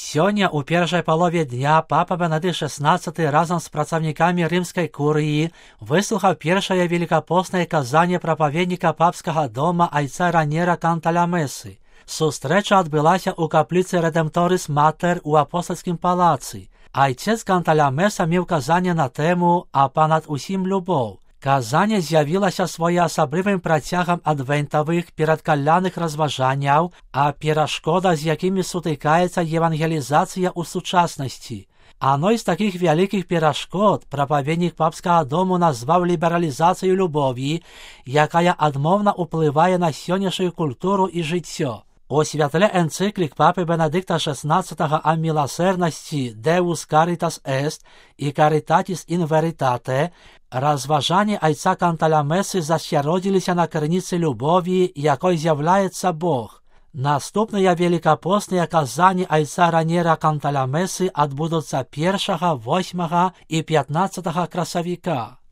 Сёння ў першай палове дня папа Бенедыкт XVI разам з працаўнікамі рымскай курыі выслухаў першае великапоснае казанне прапаведніка папскага дома айца Раньера Канталямесы. Сустрэча адбылася ў капліцы Редемторис Матер у апостальскім палацы. Айцец Канталямеса меў казанне на тэму «А панад усім любоў». Казанне з'явілася своеасаблівым працягам адвентавых перадкаляных разважанняў, а перашкода, з якімі сутыкаецца евангелізацыя ў сучаснасці. Адной з такіх вялікіх перашкод прапаведнік папскага дому назваў лібералізацыю любові, якая адмоўна ўплывае на сённяшнюю культуру і жыццё. У святле энцыклік папы Бенедыкта XVI о милосердности Deus Caritas Est і Caritatis in Veritate разважанні айца Канталямесы засяродзіліся на крыніцы любові, якой з'яўляецца Бог. Наступныя великапосныя казанні айца Раньера Канталямесы адбудуцца 1, 8 і 15 красавіка.